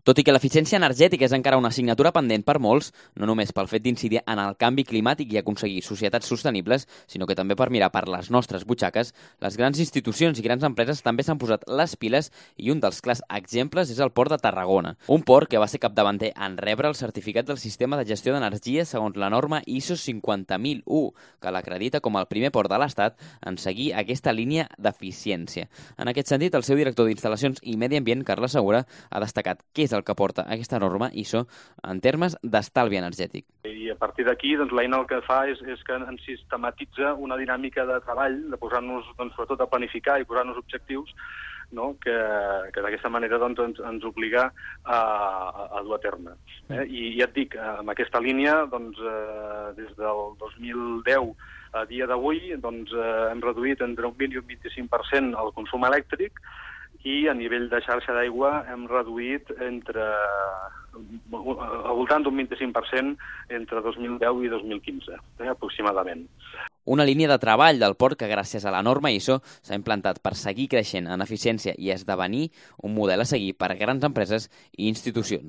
Tot i que l'eficiència energètica és encara una assignatura pendent per molts, no només pel fet d'incidir en el canvi climàtic i aconseguir societats sostenibles, sinó que també per mirar per les nostres butxaques, les grans institucions i grans empreses també s'han posat les piles i un dels clars exemples és el Port de Tarragona. Un port que va ser capdavanter en rebre el certificat del Sistema de Gestió d'Energia segons la norma ISO 50001, que l'acredita com el primer port de l'Estat en seguir aquesta línia d'eficiència. En aquest sentit, el seu director d'Instal·lacions i Medi Ambient, Carles Segura, ha destacat què és el que porta aquesta norma ISO en termes d'estalvi energètic. I a partir d'aquí, l'eina el que fa és que ens sistematitza una dinàmica de treball, de posar-nos, sobretot, a planificar i posar-nos objectius, no? que d'aquesta manera ens obliga a dur a terme. I ja et dic, amb aquesta línia, des del 2010 a dia d'avui, hem reduït entre un 20 i un 25% el consum elèctric, i a nivell de xarxa d'aigua hem reduït al voltant d'un 25% entre 2010 i 2015, aproximadament. Una línia de treball del port que, gràcies a la norma ISO, s'ha implantat per seguir creixent en eficiència i esdevenir un model a seguir per a grans empreses i institucions.